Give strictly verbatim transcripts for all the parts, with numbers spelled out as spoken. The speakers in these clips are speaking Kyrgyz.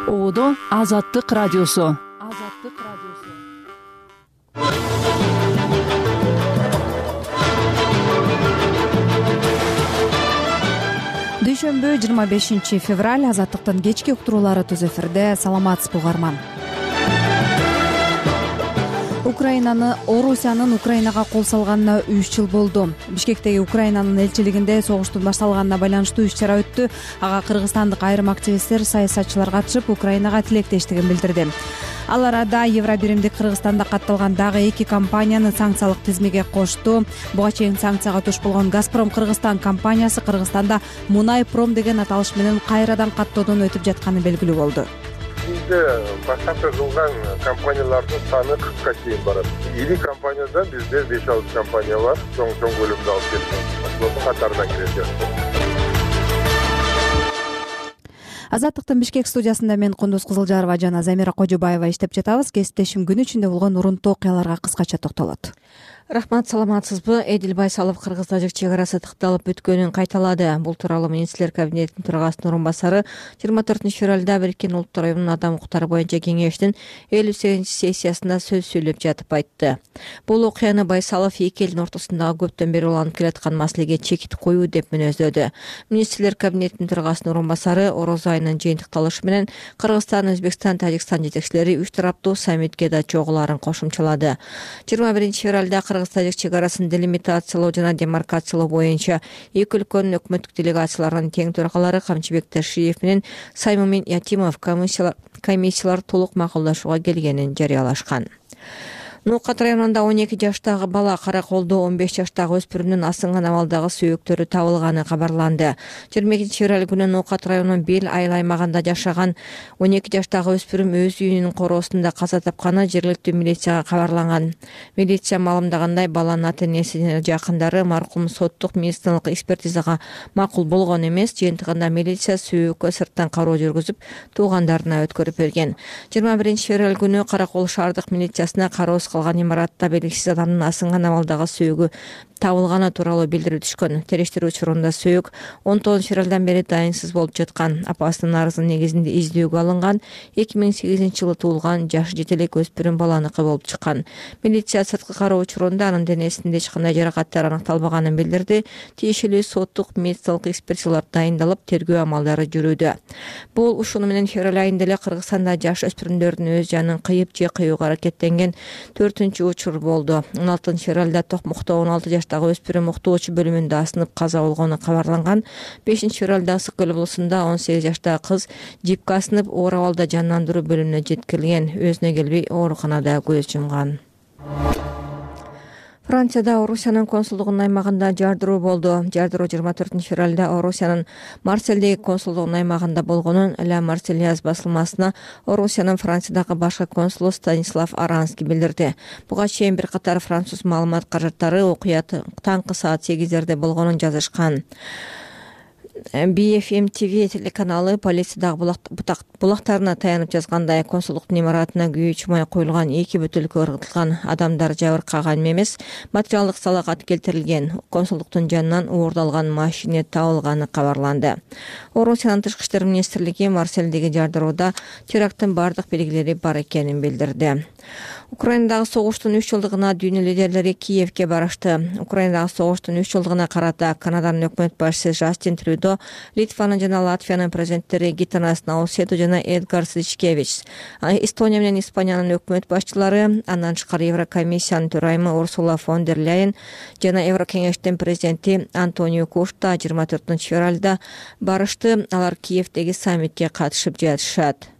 Оодо Азаттык радиосу. Азаттык радиосу. Дүйшөмбү жыйырма бешинчи февраль. Азаттыктын кечки уктуруулары түз эфирде. Саламатсызбы угарман. Украинаны Орусиянын Украинага кол салганына үч жыл болду. Бишкектеги Украинанын элчилигинде согуштун башталганына байланыштуу иш-чара өттү. Ага кыргызстандык айрым активисттер, саясатчылар катышып, Украинага тилектештигин билдирди. Ал арада Евробиримдик Кыргызстанда катталган дагы эки компанияны санкциялык тизмеге кошту. Буга чейин санкцияга туш болгон Газпром Кыргызстан компаниясы Кыргызстанда Мунайпром деген аталыш менен кайрадан каттоодон өтүп жатканы белгилүү болду. Бизде баштапкы кылган компаниялардын саны кыркка чейин барат. Ири компанияда бизде беш алты компания бар, чоң чоң көлөмдө алып келген. Ошолордун катарына кирет. Азаттыктын Бишкек студиясында мен Кундуз Кызылжарова жана Замира Кожобаева иштеп жатабыз. Кесиптешим күн ичинде болгон урунттуу окуяларга кыскача токтолот. Рахмат, саламатсызбы? Эдил Байсалов Кыргыз-тажик чек арасы тыкталып бүткөнүн кайталады. Бул тууралуу министрлер кабинетинин төрагасынын орун басары жыйырма төртүнчү февралда Бириккен Улуттар уюмунун адам укуктары боюнча кеңештин элүү сегизинчи сессиясында сөз сүйлөп жатып айтты. Бул окуяны Байсалов эки элдин ортосундагы көптөн бери уланып келаткан маселеге чекит коюу деп мүнөздөдү. Министрлер кабинетинин төрагасынын орун басары Ороз айынын жыйынтыкталышы менен Кыргызстан, Өзбекстан, Тажикстан жетекчилери үч тараптуу саммитке да чогулаарын кошумчалады. жыйырма биринчи февралда Кыргыз-тажик чек арасын делимитациялоо жана демаркациялоо боюнча эки өлкөнүн өкмөттүк делегацияларынын тең төрагалары Камчыбек Ташиев менен Саймумин Ятимов комиссиялар толук макулдашууга келгенин жарыялашкан. Нукат районунда он эки жаштагы бала, Караколдо он беш жаштагы өспүрүмдүн асынган абалдагы сөөктөрү табылганы кабарланды. жыйырма экинчи февраль күнү Нукат районунун Бел айыл аймагында жашаган он эки жаштагы өспүрүм өз үйүнүн короосунда каза тапканы жергиликтүү милицияга кабарланган. Милиция маалымдагандай, баланын ата-энеси жана жакындары маркум соттук медициналык экспертизага макул болгон эмес. Жыйынтыгында милиция сөөккө сырттан кароо жүргүзүп, туугандарына өткөрүп берген. жыйырма биринчи февраль күнү Каракол шаардык милициясына кароо калган имаратта белгисиз адамдын асынган абалдагы сөөгү табылганы тууралуу билдирип түшкөн. Териштирүү учурунда сөөк он тогузунчу февралдан бери дайынсыз болуп жаткан. Апасынын арызынын негизинде издөөгө алынган эки миң сегизинчи жылы туулган жашы жети элек өспүрүм баланыкы болуп чыккан. Милиция сырткы кароо учурунда анын денесинде эч кандай жаракаттар аныкталбаганын билдирди. Тиешелүү соттук медициналык экспертизалар дайындалып, тергөө амалдары жүрүүдө. Бул ушуну менен февраль айында эле Кыргызстанда жаш өспүрүмдөрдүн өз жанын кыйып же кыюуга аракеттенген төртүнчү учур болду. он алтынчы февралда Токмокто он алты жаштагы өспүрүм уктоочу бөлүмүндө асынып каза болгону кабарланган. бешинчи февралда Ысык көл облусунда он сегиз жаштагы кыз жипке асынып оор абалда жандандыруу бөлүмүнө жеткирилген. Өзүнө келбей ооруканада көз жумган. Францияда Орусиянын консулдугунун аймагында жардыруу болду. Жардыруу жыйырма төртүнчү февралда Орусиянын Марсельдеги консулдугунун аймагында болгонун Ла Марсельяз басылмасына Орусиянын Франциядагы башкы консулу Станислав Аранский билдирди. Буга чейин бир катар француз маалымат каражаттары окуя таңкы саат сегиздерде болгонун жазышкан. би эф эм ти ви телеканалы полициядагы булактарына таянып жазгандай, консулдуктун имаратына күйүү чумай коюлган эки бөтөлкө ыргытылган. Адамдар жабыркаган эмес, материалдык залалат келтирилген. Консулдуктун жанынан уурдалган машина табылганы кабарланды. Орусиянын тышкы иштер министрлиги Марсельдеги жардырууда теракттын бардык белгилери бар экенин билдирди. Украинадагы согуштун үч жылдыгына дүйнө лидерлери Киевке барышты. Украинадагы согуштун үч жылдыгына карата Канаданын өкмөт башчысы Жастин Трюдо, Литванын жана Латвиянын президенттери Гитанас Наусету жана Эдгар Сичкевич, Эстония менен Испаниянын өкмөт башчылары, андан тышкары Еврокомиссиянын төрайымы Урсула фон дер Ляйен жана Еврокеңештин президенти Антонио Кошта жыйырма төртүнчү февралда барышты. Алар Киевдеги саммитке катышып жатышат.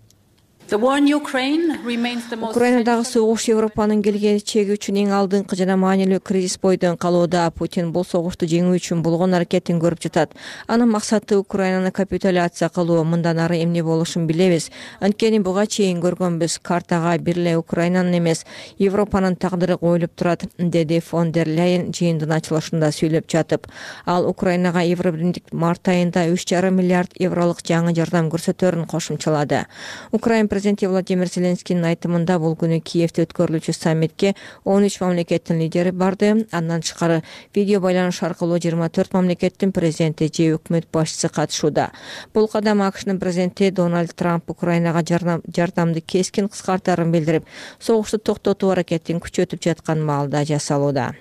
Украинадагы согуш Европанын келечеги үчүн эң алдыңкы жана маанилүү кризис бойдон калууда. Путин бул согушту жеңүү үчүн болгон аракетин көрүп жатат. Анын максаты Украинаны капитуляция кылуу. Мындан ары эмне болушун билебиз. Анткени буга чейин көргөнбүз. Картага бир эле Украинанын эмес, Европанын тагдыры коюлуп турат, деди фон дер Ляйен жыйындын ачылышында сүйлөп жатып. Ал Украинага Евробиримдик март айында үч жарым миллиард евролук жаңы жардам көрсөтөрүн кошумчалады. Украин президенти Владимир Зеленскийдин айтымында бул күнү Киевде өткөрүлүүчү саммитке он үч мамлекеттин лидери барды. Андан тышкары видео байланыш аркылуу жыйырма төрт мамлекеттин президенти же өкмөт башчысы катышууда. Бул кадам АКШнын президенти Дональд Трамп Украинага жардамды кескин кыскартаарын билдирип, согушту токтотуу аракетин күчөтүп жаткан маалда жасалууда.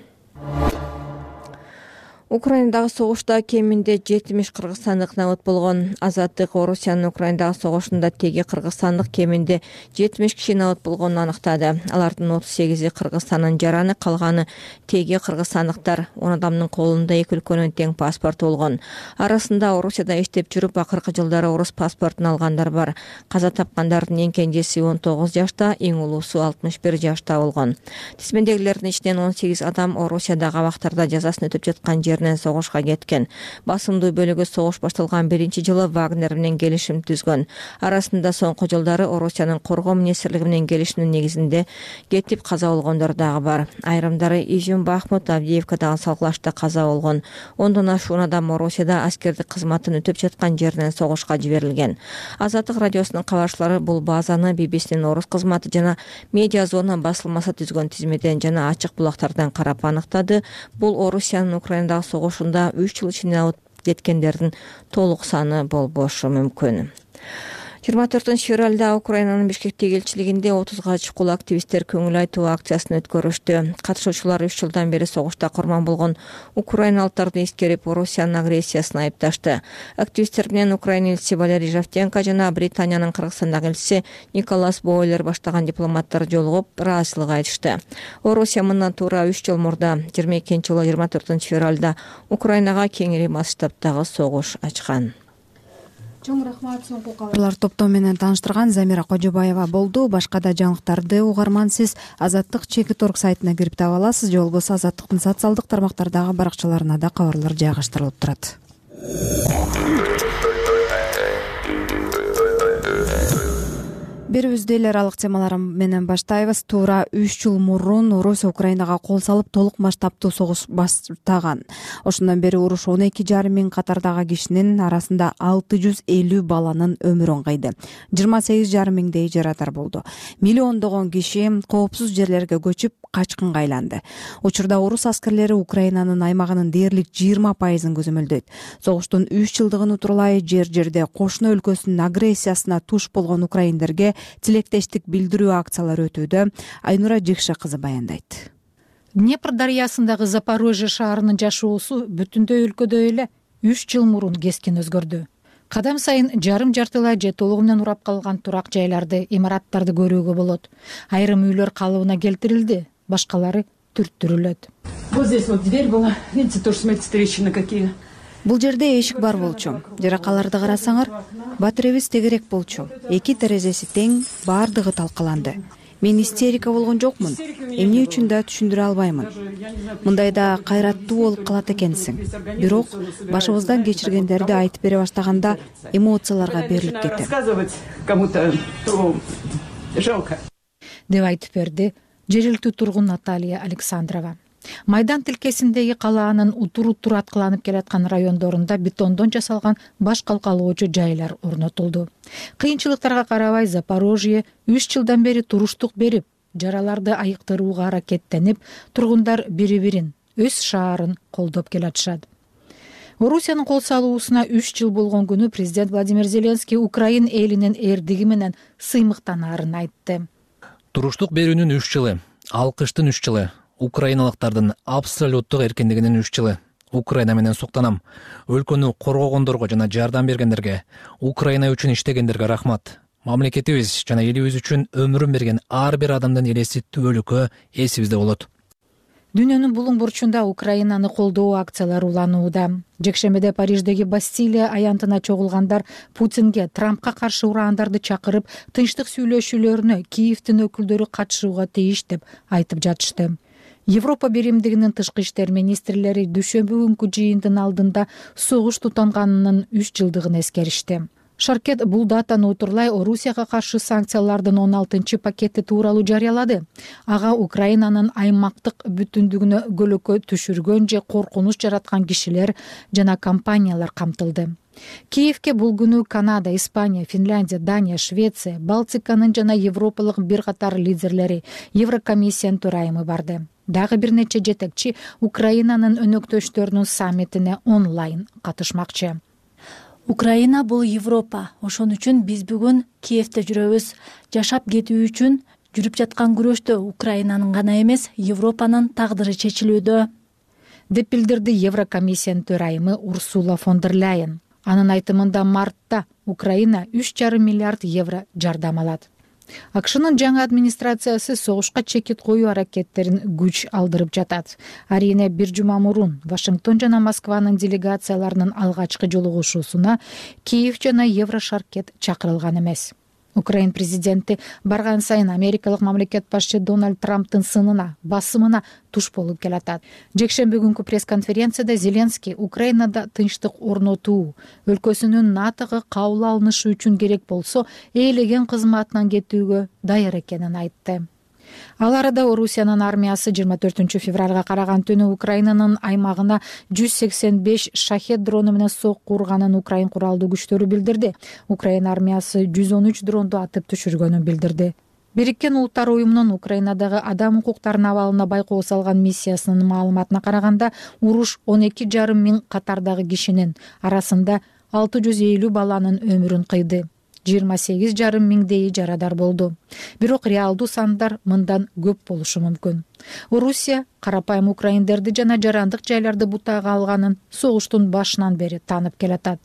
Украинадагы согушта кеминде жетимиш кыргызстандык набыт болгон. Азаттык Орусиянын Украинадагы согушунда теги кыргызстандык кеминде жетимиш киши набыт болгонун аныктады. Алардын отуз сегизи Кыргызстандын жараны, калганы теги кыргызстандыктар. он адамдын колунда эки өлкөнүн тең паспорту болгон. Арасында Орусияда иштеп жүрүп, акыркы жылдары орус паспортун алгандар бар. Каза тапкандардын эң кенжеси он тогуз жашта, эң улуусу алтымыш бир жашта болгон. Тизмедегилердин ичинен он сегиз адам Орусиядагы абактарда жазасын өтөп жаткан жеринен согушка кеткен. Басымдуу бөлүгү согуш башталган биринчи жылы Вагнер менен келишим түзгөн. Арасында соңку жылдары Орусиянын коргоо министрлиги менен келишимдин негизинде кетип каза болгондор дагы бар. Айрымдары Изюм, Бахмут, Авдеевкадагы салгылашта каза болгон. Ондон ашуун адам Орусияда аскердик кызматын өтөп жаткан жеринен согушка жиберилген. Азаттык радиосунун кабарчылары бул базаны би би синин орус кызматы жана Медиа Зона басылмасы түзгөн тизмеден жана ачык булактардан карап аныктады. Бул Орусиянын Украинадагы согушунда үч жыл ичинде алып кеткендердин толук саны болбошу мүмкүн. жыйырма төртүнчү февралда Украинанын Бишкектеги элчилигинде отузга чукул активисттер көңүл айтуу акциясын өткөрүштү. Катышуучулар үч жылдан бери согушта курман болгон украиналыктарды эскерип, Орусиянын агрессиясын айыпташты. Активисттер менен Украина элчиси Валерий Жавтенко жана Британиянын Кыргызстандагы элчиси Николас Бойлер баштаган дипломаттар жолугуп, ыраазычылык айтышты. Орусия мындан туура үч жыл мурда жыйырма экинчи жылы жыйырма төртүнчү февралда Украинага кеңири масштабтагы согуш ачкан. Чоң рахмат. Соңку кабарлар топтом менен тааныштырган Замира Кожобаева болду. Башка да жаңылыктарды угарман сиз Азаттык чекит точка орг сайтына кирип таба аласыз. Же болбосо Азаттыктын социалдык тармактардагы баракчаларына да кабарлар жайгаштырылып турат. Берибизде эле аралык темалар менен баштайбыз. Туура үч жыл мурун Орусия Украинага кол салып, толук масштабтуу согуш баштаган. Ошондон бери уруш он эки жарым миң катардагы кишинин арасында алты жүз элүү баланын өмүрүн кыйды. жыйырма сегиз жарым миңдей жарадар болду. Миллиондогон киши коопсуз жерлерге көчүп, качкынга айланды. Учурда орус аскерлери Украинанын аймагынын дээрлик жыйырма пайызын көзөмөлдөйт. Согуштун үч жылдыгын утурлай жер-жерде кошуна өлкөсүнүн агрессиясына туш болгон украиндерге тилектештик билдирүү акциялары өтүүдө. Айнура Жикша кызы баяндайт. Днепр дарыясындагы Запорожье шаарынын жашоосу бүтүндөй өлкөдө эле үч жыл мурун кескин өзгөрдү. Кадам сайын жарым жартылай же толугу менен урап калган турак жайларды, имараттарды көрүүгө болот. Айрым үйлөр калыбына келтирилди, башкалары түрттүрүлөт. Вот здесь вот дверь была, видите, тоже смотрите, трещины какие. Бул жерде эшик бар болчу. Жаракаларды карасаңар, батиребиз тегерек болчу. Эки терезеси тең, баардыгы талкаланды. Мен истерика болгон жокмун. Эмне үчүн да түшүндүрө албаймын. Мындайда кайраттуу болуп калат экенсиң. Бирок башыбыздан кечиргендерди айтып бере баштаганда эмоцияларга берилип кетем. Рассказывать кому-то жалко. Деп айтып берди жергиликтүү тургун Наталья Александрова. Майдан тилкесиндеги калаанын утур-утур аткыланып келаткан райондорунда бетондон жасалган баш калкалоочу жайлар орнотулду. Кыйынчылыктарга карабай Запорожье үч жылдан бери туруштук берип, жараларды айыктырууга аракеттенип, тургундар бири-бирин, өз шаарын колдоп келатышат. Орусиянын кол салуусуна үч жыл болгон күнү президент Владимир Зеленский Украин элинин эрдиги менен сыймыктанаарын айтты. Туруштук берүүнүн үч жылы, алкыштын үч жылы, украиналыктардын абсолюттук эркиндигинин үч жылы. Украина менен суктанам. Өлкөнү коргогондорго жана жардам бергендерге, Украина үчүн иштегендерге рахмат. Мамлекетибиз жана элибиз үчүн өмүрүн берген ар бир адамдын элеси түбөлүккө эсибизде болот. Дүйнөнүн булуң бурчунда Украинаны колдоо акциялары уланууда. Жекшембиде Париждеги Бастилия аянтына чогулгандар Путинге Трампка каршы ураандарды чакырып, тынчтык сүйлөшүүлөрүнө Киевдин өкүлдөрү катышууга тийиш деп айтып жатышты. Европа биримдигинин тышкы иштер министрлери дүйшөмбү күнкү жыйындын алдында согуш тутанганынын үч жылдыгын эскеришти. Шаркет бул датаны утурлай Орусияга каршы санкциялардын он алтынчы пакети тууралуу жарыялады. Ага Украинанын аймактык бүтүндүгүнө көлөкө түшүргөн же коркунуч жараткан кишилер жана компаниялар камтылды. Киевке бул күнү Канада, Испания, Финляндия, Дания, Швеция, Балтиканын жана Европалык бир катар лидерлери, Еврокомиссиянын төрайымы барды. Дагы бир нече жетекчи Украинанын өнөктөштөрүнүн саммитине онлайн катышмакчы. Украина бул Европа. Ошон үчүн биз бүгүн Киевте жүрөбүз. Жашап кетүү үчүн жүрүп жаткан күрөштө Украинанын гана эмес, Европанын тагдыры чечилүүдө, деп билдирди Еврокомиссиянын төрайымы Урсула фон дер Ляйен. Анын айтымында мартта Украина үч жарым миллиард евро жардам алат. АКШнын жаңы администрациясы согушка чекит коюу аракеттерин күч алдырып жатат. Арийне бир жума мурун Вашингтон жана Москванын делегацияларынын алгачкы жолугушуусуна Киев жана Еврошаркет чакырылган эмес. Украин президенти барган сайын америкалык мамлекет башчы Дональд Трамптын сынына, басымына туш болуп келатат. Жекшемби күнкү пресс-конференцияда Зеленский Украинада тынчтык орнотуу, өлкөсүнүн НАТОго кабыл алынышы үчүн керек болсо ээлеген кызматынан кетүүгө даяр экенин айтты. Ал арада Орусиянын армиясы жыйырма төртүнчү февралга караган түнү Украинанын аймагына жүз сексен беш шахет дрону менен сокку урганын Украин куралдуу күчтөрү билдирди. Украин армиясы жүз он үч дронду атып түшүргөнүн билдирди. Бириккен Улуттар уюмунун Украинадагы адам укуктарынын абалына байкоо салган миссиясынын маалыматына караганда, уруш он эки жарым миң катардагы кишинин арасында алты жүз элүү баланын өмүрүн кыйды. жыйырма сегиз жарым миңдейи жарадар болду. Бирок реалдуу сандар мындан көп болушу мүмкүн. Орусия карапайым украиндерди жана жарандык жайларды бутага алганын согуштун башынан бери таанып келатат.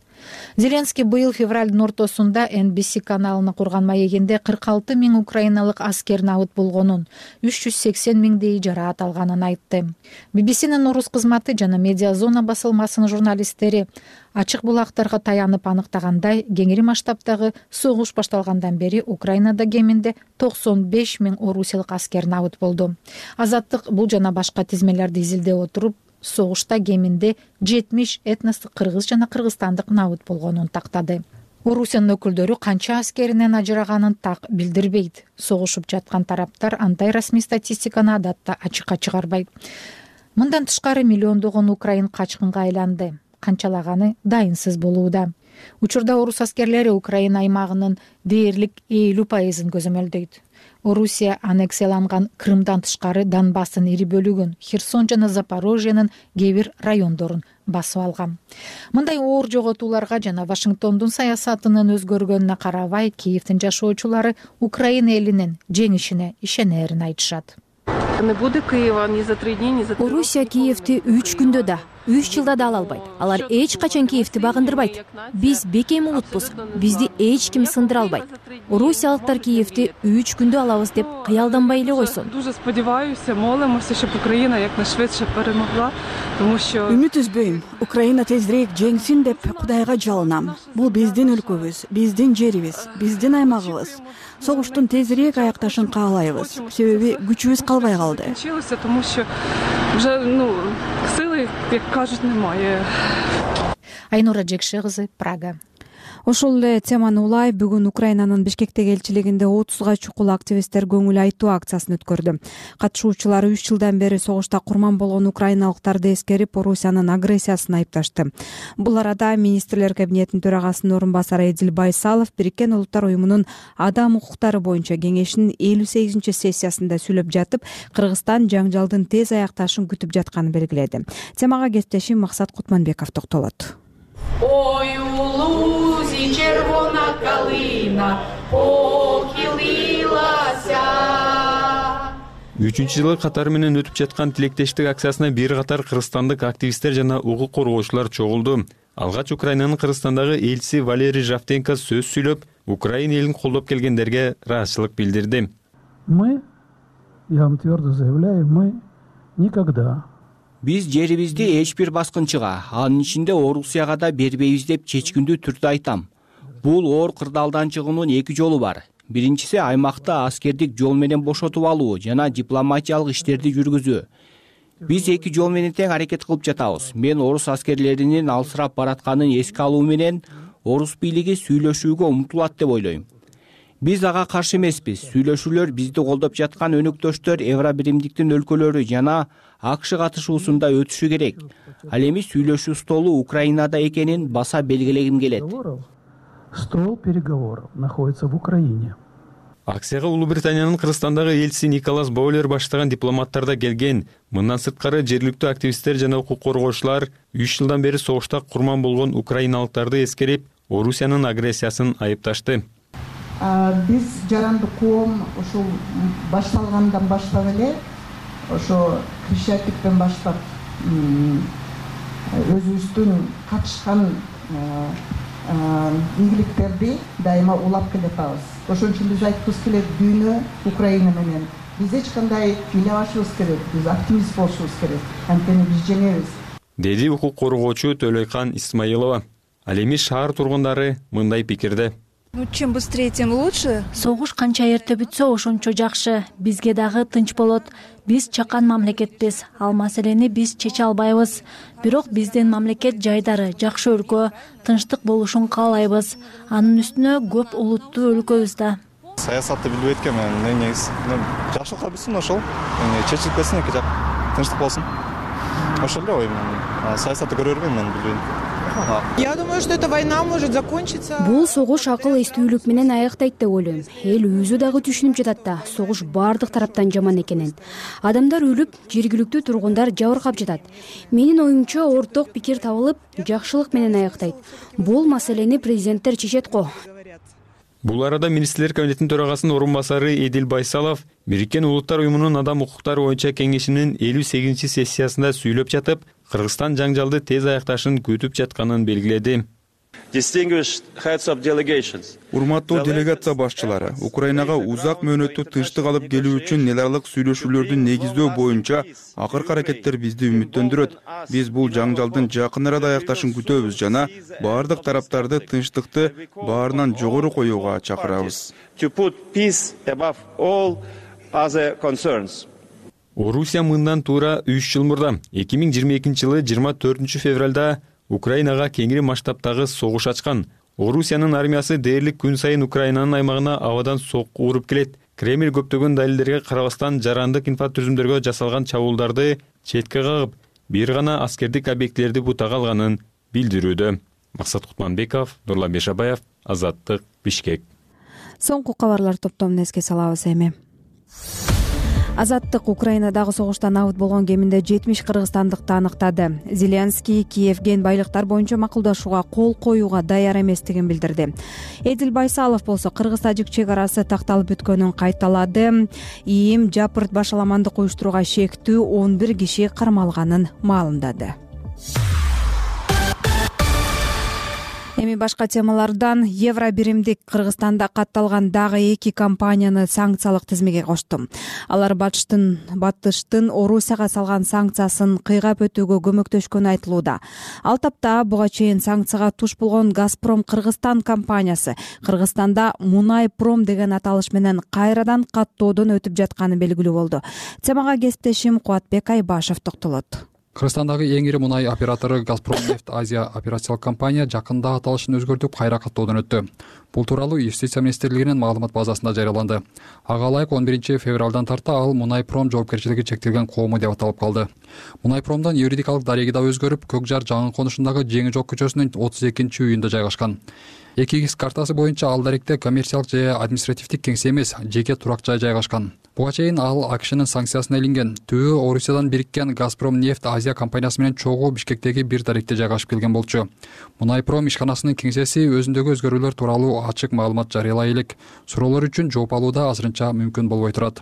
Зеленский быйыл февралдын ортосунда эн би си каналына курган маегинде кырк алты миң украиналык аскер набыт болгонун, үч жүз сексен миңдейи жараат алганын айтты. би би синин орус кызматы жана Медиа Зона басылмасынын журналисттери ачык булактарга таянып аныктагандай, кеңири масштабтагы согуш башталгандан бери Украинада кеминде токсон беш миң орусиялык аскер набыт болду. Азаттык бул жана башка тизмелерди изилдеп отуруп, согушта кеминде жетимиш этностук кыргыз жана кыргызстандык набыт болгонун тактады. Орусиянын өкүлдөрү канча аскеринен ажыраганын так билдирбейт. Согушуп жаткан тараптар андай расмий статистиканы адатта ачыкка чыгарбайт. Мындан тышкары миллиондогон украин качкынга айланды. Канчалаганы дайынсыз болууда. Учурда орус аскерлери Украина аймагынын дээрлик элүү пайызын көзөмөлдөйт. Орусия аннексияланган Крымдан тышкары Донбасстын ири бөлүгүн, Херсон жана Запорожьенын кээ бир райондорун басып алган. Мындай оор жоготууларга жана Вашингтондун саясатынын өзгөргөнүнө карабай, Киевдин жашоочулары Украина элинин жеңишине ишенерин айтышат. Орусия Киевти үч күндө да, үч жылда да ала албайт. Алар эч качан Киевти багындырбайт. Биз бекем улутпуз, бизди эч ким сындыра албайт. Орусиялыктар Киевти үч күндө алабыз деп кыялданбай эле койсун. Үмүт үзбөйм. Украина тезирээк жеңсин деп Кудайга жалынам. Бул биздин өлкөбүз, биздин жерибиз, биздин аймагыбыз. Согуштун тезирээк аякташын каалайбыз. Себеби күчүбүз калбай калды. Айнура Жекше кызы, Прага. Ошол эле теманы улай бүгүн Украинанын Бишкектеги элчилигинде отузга чукул активисттер көңүл айтуу акциясын өткөрдү. Катышуучулар үч жылдан бери согушта курман болгон украиналыктарды эскерип, Орусиянын агрессиясын айыпташты. Бул арада министрлер кабинетинин төрагасынын орун басары Эдил Байсалов Бириккен Улуттар уюмунун адам укуктары боюнча кеңешинин элүү сегизинчи сессиясында сүйлөп жатып, Кыргызстан жаңжалдын тез аякташын күтүп жатканын белгиледи. Темага кесиптешим Максат Кутманбеков токтолот. Ой, у лузі червона калина похилилася. үчүнчү жылы катары менен өтүп жаткан тилектештик акциясына бир катар кыргызстандык активисттер жана укук коргоочулар чогулду. Алгач Украинанын Кыргызстандагы элчиси Валерий Жавтенко сөз сүйлөп, Украина элин колдоп келгендерге ыраазычылык билдирди. Мы, я вам твердо заявляю, мы никогда Биз жерибизди эч бир баскынчыга, анын ичинде Орусияга да бербейбиз деп чечкиндүү түрдө айтам. Бул оор кырдаалдан чыгуунун эки жолу бар. Биринчиси аймакта аскердик жол менен бошотуп алуу жана дипломатиялык иштерди жүргүзүү. Биз эки жол менен тең аракет кылып жатабыз. Мен орус аскерлеринин алсырап баратканын эске алуу менен орус бийлиги сүйлөшүүгө умтулат деп ойлойм. Биз ага каршы эмеспиз. Сүйлөшүүлөр бизди колдоп жаткан өнөктөштөр Евробиримдиктин өлкөлөрү жана АКШ катышуусунда өтүшү керек. Ал эми сүйлөшүү столу Украинада экенин баса белгилегим келет. Стол переговоров находится в Украине. Акцияга Улуу Британиянын Кыргызстандагы элчиси Николас Бойлер баштаган дипломаттар да келген. Мындан сырткары жергиликтүү активисттер жана укук коргоочулар үч жылдан бери согушта курман болгон украиналыктарды эскерип, Орусиянын агрессиясын айыпташты. Биз жаранды коом ушул башталгандан баштап эле ошо Крещатиктен баштап өзүбүздүн катышкан ийгиликтерди дайыма улап келатабыз. Ошон үчүн биз айткыбыз келет, дүйнө Украина менен. Биз эч кандай ыйлабашыбыз керек, биз оптимист болушубуз керек. Анткени биз жеңебиз. Деди укук коргоочу Төлөйкан Исмаилова. Ал эми шаар тургундары мындай пикирде. Ну, чем быстрее, тем лучше. Согуш канча эрте бүтсө, ошончо жакшы. Бизге дагы тынч болот. Биз чакан мамлекетпиз. Ал маселени биз чече албайбыз. Бирок биздин мамлекет жайдары, жакшы өлкө, тынчтык болушун каалайбыз. Анын үстүнө көп улуттуу өлкөбүз да. Саясатты билбейт экенмин. Негизи жакшылыкка бүтсүн ошол. Чечилип кетсин, эки жак тынчтык болсун. Ошол эле оюм. Саясатты көрө бербейм мен, билбейм. Я думаю, что эта война может закончиться. Бул согуш акыл эстүүлүк менен аягтайт деп ойлойм. Эл өзү дагы түшүнүп жатат да, согуш баардык тараптан жаман экенин. Адамдар өлүп, жергиликтүү тургундар жабыркап жатат. Менин оюмча орток пикир табылып, жакшылык менен аягтайт. Бул маселени президенттер чечет го. Бул арада Министрлер комитетинин төрагасынын орун басары Эдил Байсалов Бириккен Улуттар уюмунун Адам укуктары боюнча кеңешинин элүү сегизинчи сессиясында сүйлөп жатып, Кыргызстан жаңжалды тез аякташын күтүп жатканын белгиледи. Урматтуу делегация башчылары, Украинага узак мөөнөттүү тынчтык алып келүү үчүн эл аралык сүйлөшүүлөрдү негиздөө боюнча акыркы аракеттер бизди үмүттөндүрөт. Биз бул жаңжалдын жакын арада аякташын күтөбүз жана баардык тараптарды тынчтыкты баарынан жогору коюуга чакырабыз. Орусия мындан туура үч жыл мурда эки миң жыйырма экинчи жылы жыйырма төртүнчү февралда Украинага кеңири масштабтагы согуш ачкан. Орусиянын армиясы дээрлик күн сайын Украинанын аймагына абадан сокку уруп келет. Кремль көптөгөн далилдерге карабастан жарандык инфратүзүмдөргө жасалган чабуулдарды четке кагып, бир гана аскердик объектилерди бутага алганын билдирүүдө. Максат Кутманбеков, Нурлан Бешабаев, Азаттык, Бишкек. Соңку кабарлар топтомун эске салабыз эми. Азаттык Украинадагы согуштан абыт болгон кеминде жетимиш кыргызстандыкты аныктады. Зеленский Киевген байлыктар боюнча макулдашууга кол коюуга даяр эместигин билдирди. Эдил Байсалов болсо кыргыз-тажик чек арасы такталып өткөнүн кайталады. ИИМ жапырт башаламандык уюштурууга шектүү он бир киши кармалганын маалымдады. Эми башка темалардан Евробиримдик Кыргызстанда катталган дагы эки компанияны санкциялык тизмеге кошту. Алар батыштын батыштын Орусияга салган санкциясын кыйгап өтүүгө көмөктөшкөнү айтылууда. Ал тапта буга чейин санкцияга туш болгон Газпром Кыргызстан компаниясы Кыргызстанда Мунайпром деген аталыш менен кайрадан каттоодон өтүп жатканы белгилүү болду. Темага кесиптешим Кубатбек Айбашев токтолот. Кыргызстандагы эң ири мунай оператору Газпром нефть Азия операциялык компания жакында аталышын өзгөртүп кайра каттоодон өттү. Бул тууралуу Юстиция министрлигинин маалымат базасында жарыяланды. Ага ылайык он биринчи февралдан тарта ал Мунайпром жоопкерчилиги чектелген коому деп аталып калды. Мунайпромдун юридикалык дареги да өзгөрүп, Көк жар жаңы конушундагы Жеңи жок көчөсүнүн отуз экинчи үйүндө жайгашкан. эки икс картасы боюнча ал даректе коммерциялык же административдик кеңсе эмес, жеке турак жай жайгашкан. Буга чейин ал АКШнын санкциясына илинген. Түбү Орусиядан бириккен Газпром нефть Азия компаниясы менен чогуу Бишкектеги бир даректе жайгашып келген болчу. Мунайпром ишканасынын кеңсеси өзүндөгү өзгөрүүлөр тууралуу ачык маалымат жарыялай элек. Суроолор үчүн жооп алууда азырынча мүмкүн болбой турат.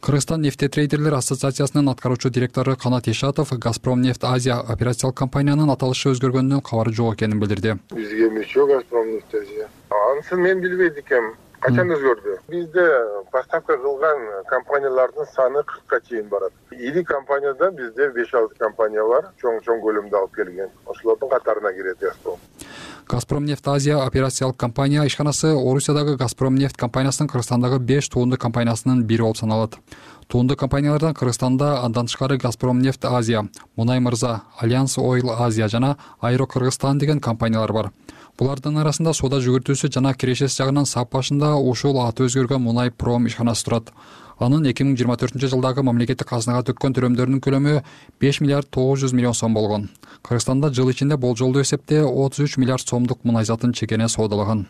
Кыргызстан нефтетрейдерлер ассоциациясынын аткаруучу директору Канат Ишатов Газпром нефть Азия операциялык компаниянын аталышы өзгөргөнүнөн кабары жок экенин билдирди. Бизге мүчө Газпром нефть Азия. Анысын мен билбейт экенмин. Качан өзгөрдү? Бизде поставка кылган компаниялардын саны кыркка чейин барат. Ири компанияда бизде беш алты компания бар, чоң-чоң көлөмдө алып келген. Ошолордун катарына кирет Газпром. Газпром нефть Азия операциялык компания ишканасы Орусиядагы Газпром нефть компаниясынын Кыргызстандагы беш туунду компаниясынын бири болуп саналат. Туунду компаниялардан Кыргызстанда андан тышкары Газпром нефть Азия, Мунай Мырза, Альянс Ойл Азия жана Аэро Кыргызстан деген компаниялар бар. Булардын арасында соода жүгүртүүсү жана кирешеси жагынан сап башында ушул аты өзгөргөн Мунай Пром ишканасы турат. Анын эки миң жыйырма төртүнчү жылдагы мамлекеттик казынага төккөн төлөмдөрүнүн көлөмү беш миллиард тогуз жүз миллион сом болгон. Кыргызстанда жыл ичинде болжолдуу эсепте отуз үч миллиард сомдук мунай затын чекене соодалаган.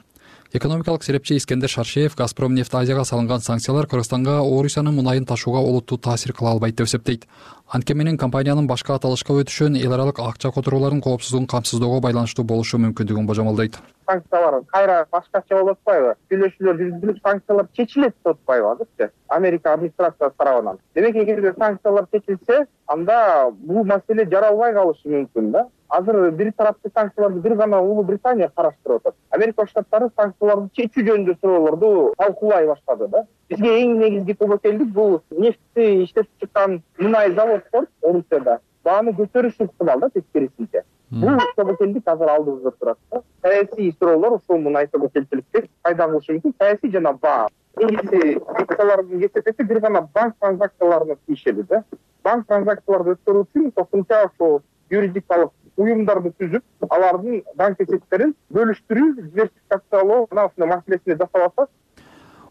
Экономикалык серепчи Искендер Шаршеев Газпромнефть Азияга салынган санкциялар Кыргызстанга Орусиянын мунайын ташууга олуттуу таасир кыла албайт деп эсептейт. Анткени менен компаниянын башка аталышка өтүшүн эл аралык акча которуулардын коопсуздугун камсыздоого байланыштуу болушу мүмкүндүгүн божомолдойт. Санкциялар кайра башкача болуп атпайбы? Сүйлөшүүлөр жүргүзүлүп, санкциялар чечилет деп атпайбы азырчы? Америка администрациясы тарабынан. Демек, эгерде санкциялар чечилсе, анда бул маселе жаралбай калышы мүмкүн да. Азыр бир тараптуу санкцияларды бир гана Улуу Британия караштырып атат. Америка Штаттары санкцияларды чечүү жөнүндө суроолорду талкуулай баштады да. Бизге эң негизги тобокелдик бул нефтти иштетип чыккан мунай заводдор Орусияда бааны көтөрүш ыктымал да тескерисинче. Бул тобокелдик азыр алдыбызда турат да. Саясий суроолор ушул мунай тобокелчиликти пайда кылышы мүмкүн. Саясий жана баа. Негизи санкциялардын кесепети бир гана банк транзакцияларына тийишели да. Банк транзакцияларды өткөрүү үчүн кошумча ошол юридикалык уюмдарды түзүп, алардын банк эсептерин бөлүштүрүү, диверсификациялоо мына ушундай маселесине жасап атат.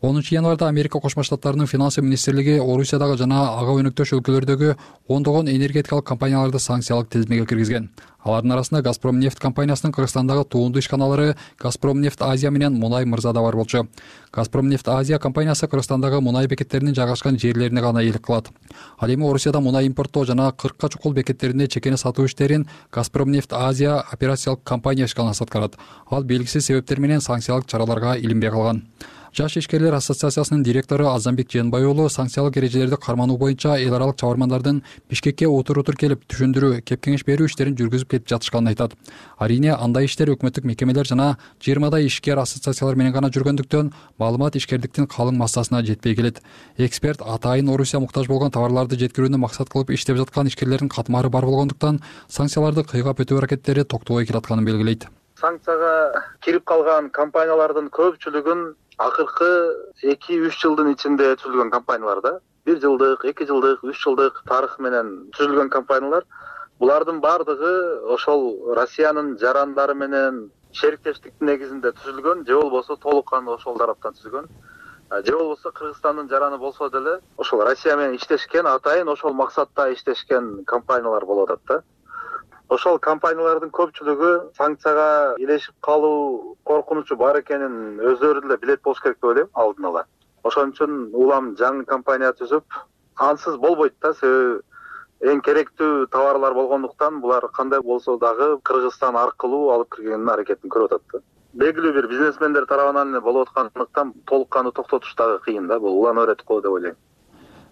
онунчу январда Америка Кошмо Штаттарынын финансы министрлиги Орусиядагы жана ага өнөктөш өлкөлөрдөгү ондогон энергетикалык компанияларды санкциялык тизмеге киргизген. Алардын арасында Газпромнефть компаниясынын Кыргызстандагы туунду ишканалары Газпромнефть Азия менен Мунай Мырза да бар болчу. Газпромнефть Азия компаниясы Кыргызстандагы мунай бекеттеринин жайгашкан жерлерине гана ээлик кылат. Ал эми Орусияда мунай импорттоо жана кыркка чукул бекеттеринде чекене сатуу иштерин Газпромнефть Азия операциялык компания ишканасы аткарат. Ал белгисиз себептер менен санкциялык чараларга илинбей калган. Жаш ишкерлер ассоциациясынын директору Азамбек Жээнбай уулу санкциялык эрежелерди кармануу боюнча эл аралык чабармандардын Бишкекке отур-отур келип түшүндүрүү, кеп-кеңеш берүү иштерин жүргүзүп кетип жатышканын айтат. Арийне андай иштер өкмөттүк мекемелер жана жыйырмадай ишкер ассоциациялар менен гана жүргөндүктөн маалымат ишкердиктин калың массасына жетпей келет. Эксперт атайын Орусия муктаж болгон товарларды жеткирүүнү максат кылып иштеп жаткан ишкерлердин катмары бар болгондуктан санкцияларды кыйгап өтүү аракеттери токтобой келатканын белгилейт. Санкцияга кирип калган компаниялардын көпчүлүгүн акыркы эки-үч жылдын ичинде түзүлгөн компаниялар да. бир жылдык, эки жылдык, үч жылдык тарых менен түзүлгөн компаниялар. Булардын бардыгы ошол Россиянын жарандары менен шериктештиктин негизинде түзүлгөн, же болбосо толук кандуу ошол тараптан түзүлгөн. Же болбосо Кыргызстандын жараны болсо деле ошол Россия менен иштешкен, атайын ошол максатта иштешкен компаниялар болуп атат да. Ошол компаниялардын көпчүлүгү санкцияга илешип калуу коркунучу бар экенин өздөрү деле билет болуш керек деп ойлойм алдын ала. Ошон үчүн улам жаңы компания түзүп, ансыз болбойт да, себеби эң керектүү товарлар болгондуктан булар кандай болсо дагы Кыргызстан аркылуу алып киргенин аракетин көрүп атат да. Белгилүү бир бизнесмендер тарабынан эле болуп аткандыктан толук кандуу токтотуш дагы кыйын да, бул улам өрөт го деп ойлойм.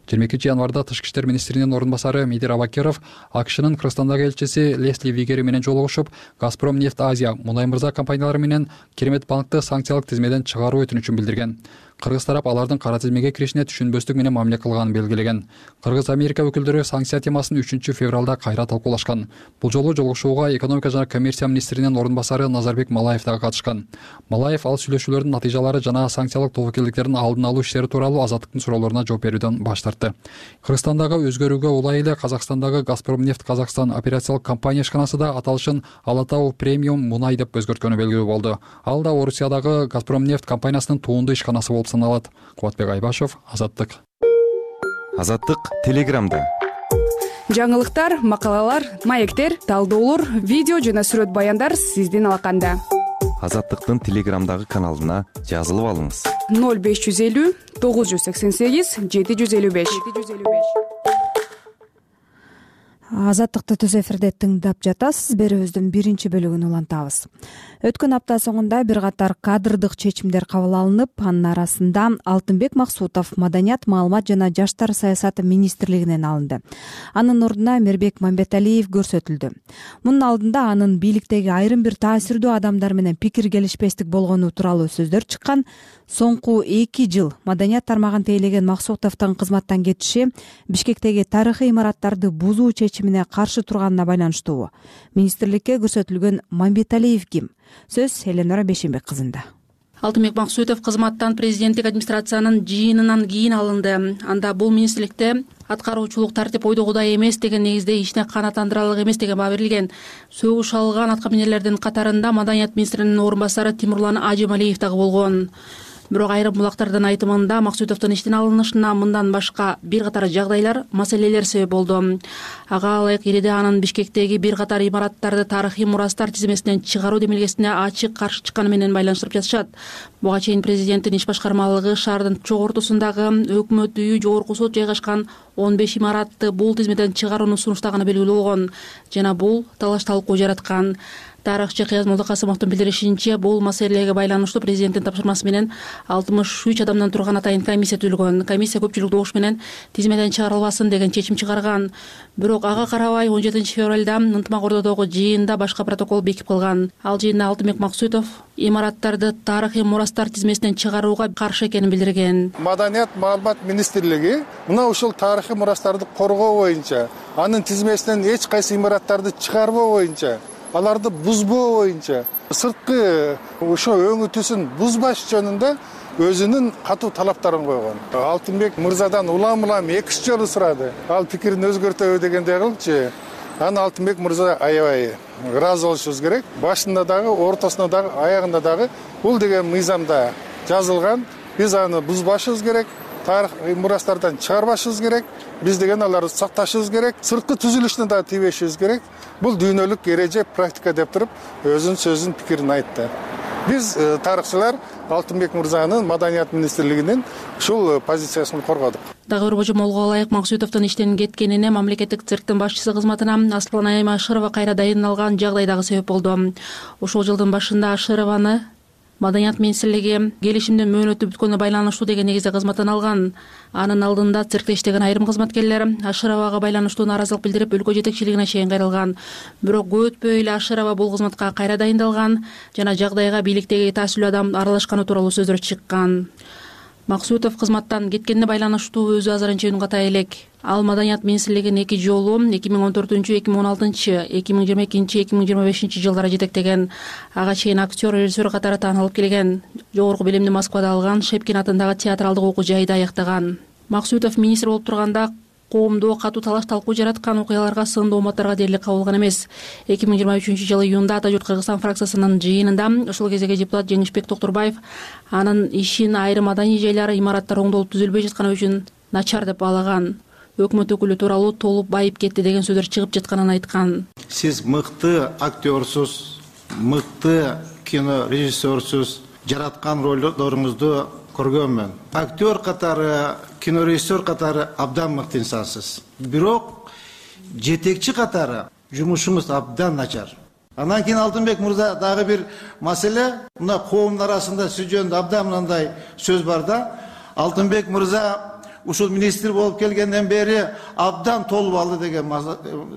жыйырма экинчи январда Тышкы иштер министринин орун басары Медир Абакеров АКШнын Кыргызстандагы элчиси Лесли Вигери менен жолугушуп, Газпромнефть Азия, Мунай Мырза компаниялары менен Керемет банкты санкциялык тизмеден чыгаруу өтүнүчүн билдирген. Кыргыз тарап алардын кара тизмеге киришине түшүнбөстүк менен мамиле кылганын белгилеген. Кыргыз Америка өкүлдөрү санкция темасын үчүнчү февралда кайра талкуулашкан. Бул жолу жолугушууга экономика жана коммерция министринин орун басары Назарбек Малаев дагы катышкан. Малаев ал сүйлөшүүлөрдүн натыйжалары жана санкциялык тобокелдиктердин алдын алуу иштери тууралуу Азаттыктын суроолоруна жооп берүүдөн баш тартты. Кыргызстандагы өзгөрүүгө улай эле Казакстандагы Газпромнефть Казакстан операциялык компания ишканасы да аталышын Ала Тау премиум мунай деп өзгөрткөнү белгилүү болду. Ал да Орусиядагы Газпромнефть компаниясынын туунду ишканасы болуп саналат. Кубатбек Айбашев, Азаттык. Азаттык Телеграмда. Жаңылыктар, макалалар, маектер, талдоолор, видео жана сүрөт баяндар сиздин алаканда. Азаттыктын Телеграмдагы каналына жазылып алыңыз. ноль беш жүз элүү тогуз жүз сексен сегиз жети жүз элүү беш. Азаттыкты түз эфирде тыңдап жатасыз. Берүүбүздүн биринчи бөлүгүн улантабыз. Өткөн апта соңунда бир катар кадрдык чечимдер кабыл алынып, анын арасында Алтынбек Максутов Маданият, маалымат жана жаштар саясаты министрлигинен алынды. Анын ордуна Мирбек Мамбеталиев көрсөтүлдү. Мунун алдында анын бийликтеги айрым бир таасирдүү адамдар менен пикир келишпестик болгону тууралуу сөздөр чыккан. Соңку эки жыл Маданият тармагын тейлеген Максутовдун кызматтан кетиши Бишкектеги тарыхый имараттарды бузуу чечимине каршы турганына байланыштуу. Министрликке көрсөтүлгөн Мамбеталиев ким? Сөз Эленора Бешенбек кызында. Алтынбек Максутов кызматтан президенттик администрациянын жыйынынан кийин алынды. Анда бул министрликте аткаруучулук тартип ойдогудай эмес деген негизде ишине канааттандырарлык эмес деген баа берилген. Сөгүш алган аткаминерлердин катарында маданият министринин орун басары Тимурлан Ажималиев дагы болгон. Бирок айрым булактардын айтымында Максутовдун иштен алынышына мындан башка бир катар жагдайлар, маселелер себеп болду. Ага ылайык Ириде анын Бишкектеги бир катар имараттарды тарыхый мурастар тизмесинен чыгаруу демилгесине ачык каршы чыкканы менен байланыштырып жатышат. Буга чейин президенттин иш башкармалыгы шаардын чок ортосундагы өкмөт үйү, жогорку сот жайгашкан он беш имаратты бул тизмеден чыгарууну сунуштаганы белгилүү болгон жана бул талаш талкуу жараткан. Тарыхчы Кыяз Молдокасымовдун билдиришинче, бул маселеге байланыштуу президенттин тапшырмасы менен алтымыш үч адамдан турган атайын комиссия түзүлгөн. Комиссия көпчүлүк добуш менен тизмеден чыгарылбасын деген чечим чыгарган. Бирок ага карабай он жетинчи февралда ынтымак ордодогу жыйында башка протокол бекип калган. Ал жыйында Алтынбек Максутов имараттарды тарыхый мурастар тизмесинен чыгарууга каршы экенин билдирген. Маданият маалымат министрлиги мына ушул тарыхый мурастарды коргоо боюнча, анын тизмесинен эч кайсы имараттарды чыгарбоо боюнча, аларды бузбоо боюнча, сырткы ошо өңүтүүсүн бузбаш жөнүндө өзүнүн катуу талаптарын койгон. Алтынбек мырзадан улам улам эки үч жолу сурады. Ал пикирин өзгөртөбү дегендей кылчу. Аны Алтынбек мырза аябай ыраазы болушубуз керек. Башында дагы, ортосунда дагы, аягында дагы бул деген мыйзамда жазылган. Биз аны бузбашыбыз керек. Тарыхый мурастардан чыгарбашыбыз керек. Биз деген аларды сакташыбыз керек. Сырткы түзүлүшүнө дагы тийбешибиз керек. Бул дүйнөлүк эреже, практика деп туруп өзүнүн сөзүн, пикирин айтты. Биз тарыхчылар Алтынбек мырзанын Маданият министрлигинин ушул позициясын коргодук. Дагы бир божомолго ылайык Максутовдун иштен кеткенине мамлекеттик цирктин башчысы кызматына Асланайым Ашырова кайра дайындалган жагдай дагы себеп болду. Ошол жылдын башында Ашырованы Маданият министрлиги келишимдин мөөнөтү бүткөнүнө байланыштуу деген негизде кызматтан алган. Анын алдында циркте иштеген айрым кызматкерлер Ашыровага байланыштуу нааразылык билдирип, өлкө жетекчилигине чейин кайрылган. Бирок көп өтпөй эле Ашырова бул кызматка кайра дайындалган жана жагдайга бийликтеги таасирдүү адам аралашканы тууралуу сөздөр чыккан. Максутов кызматтан кеткенине байланыштуу өзү азырынча үн ката элек. Ал Маданият министрлигин эки жолу эки миң он төртүнчү, эки миң он алтынчы, эки миң жыйырма экинчи, эки миң жыйырма бешинчи жылдары жетектеген. Ага чейин актер, режиссер катары таанылып келген. Жогорку билимди Москвада алган, Шепкин атындагы театралдык окуу жайда аяктаган. Максутов министр болуп турганда коомдо катуу талаш талкуу жараткан окуяларга, сындуу уматтарга дээрлик кабылган эмес. эки миң жыйырма үчүнчү жылы июнда Ата журт Кыргызстан фракциясынын жыйынында ошол кездеги депутат Жеңишбек Токтурбаев анын ишин айрым маданий жайлар, имараттар оңдолуп түзүлбөй жатканы үчүн начар деп баалаган. Өкмөт өкүлү тууралуу толуп байып кетти деген сөздөр чыгып жатканын айткан. Сиз мыкты актерсуз, мыкты кино режиссерсуз, жараткан ролдоруңузду көргөнмүн. Актер катары, кинорежиссер катары абдан мыкты инсансыз. Бирок жетекчи катары жумушуңуз абдан начар. Анан кийин Алтынбек мырза дагы бир маселе, мына коомдун арасында сиз жөнүндө абдан мындай сөз бар да. Алтынбек мырза ушул министр болуп келгенден бери абдан толуп алды деген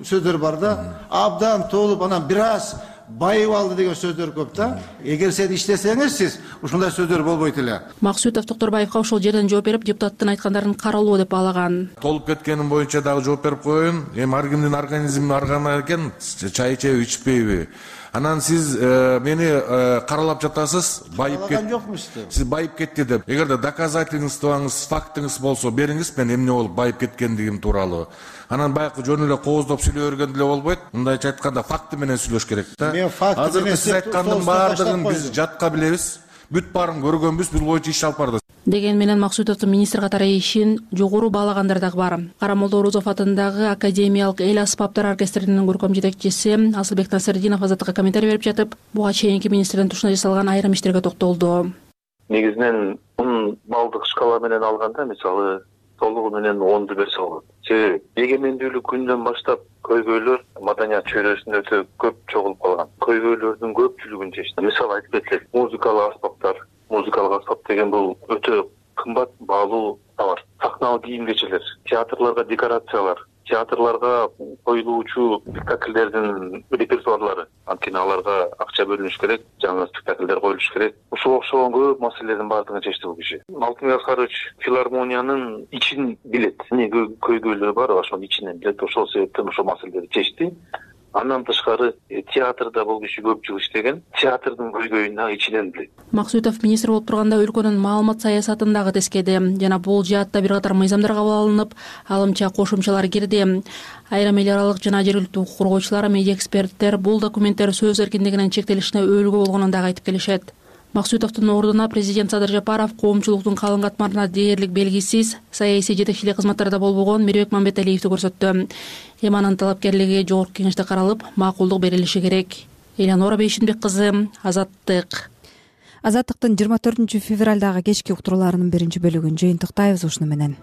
сөздөр бар да. Абдан толуп, анан бир аз байып алды деген сөздөр көп да. Эгер сиз иштесеңиз, сиз ушундай сөздөр болбойт эле. Максутов Токтурбаевга ошол жерден жооп берип, депутаттын айткандарын каралуу деп баалаган. Толуп кеткеним боюнча дагы жооп берип коеюн. Эми ар кимдин организми ар кандай экен, чай ичеби, ичпейби. Анан сиз мени каралап жатасыз, байып кетти. Сиз байып кетти деп. Эгерде доказательствоңуз, фактыңыз болсо бериңиз, мен эмне болуп байып кеткендигим тууралуу. Анан баягы жөн эле кооздоп сүйлөй бергенде эле болбойт. Мындайча айтканда факты менен сүйлөш керек да. Азыркы сиз айткандын баардыгын биз жатка билебиз. Бүт баарын көргөнбүз, бул боюнча иш алып бардык. Деген менен Максутовдун министр катары ишин жогору баалагандар дагы бар. Карамолдо Орозов атындагы Академиялык эл аспаптар оркестринин көркөм жетекчиси Асылбек Насырдинов Азаттыкка комментарий берип жатып, буга чейинки министрдин тушуна жасалган айрым иштерге токтолду. Негизинен он балдык шкала менен алганда, мисалы толугу менен онду берсе болот. Себеби эгемендүүлүк күнүнөн баштап көйгөйлөр маданият чөйрөсүндө өтө көп чогулуп калган. Көйгөйлөрдүн көпчүлүгүн чечти. Мисалы айтып кетсек, музыкалык аспаптар, музыкалык аспап деген бул өтө кымбат, баалуу товар. Сахналык кийим кечелер, театрларга декорациялар, театрларга коюлуучу спектакльдердин репертуарлары. Анткени аларга акча бөлүнүш керек, жаңы спектакльдер коюлуш керек. Ошого окшогон көп маселелердин баардыгын чечти бул киши. Алтынбек Аскарович филармониянын ичин билет. Эмне көйгөйлөр бар, ошонун ичинен билет. Ошол себептен ошол маселелерди чечти. Андан тышкары театрда бул киши көп жыл иштеген, театрдын көйгөйүн ичинен билет. Максутов министр болуп турганда өлкөнүн маалымат саясатын дагы тескеди жана бул жаатта бир катар мыйзамдар кабыл алынып, алымча кошумчалар кирди. Айрым эл аралык жана жергиликтүү укук коргоочулар, медиа эксперттер бул документтер сөз эркиндигинин чектелишине өбөлгө болгонун дагы айтып келишет. Максутовдун ордуна президент Садыр Жапаров коомчулуктун калың катмарына дээрлик белгисиз саясий жетекчилик кызматтарда болбогон Мирбек Мамбеталиевди көрсөттү. Эми анын талапкерлиги жогорку кеңеште каралып, макулдук берилиши керек. Элянора Бейшинбек кызы, Азаттык. Азаттыктын жыйырма төртүнчү февралдагы кечки уктурууларынын биринчи бөлүгүн жыйынтыктайбыз ушуну менен.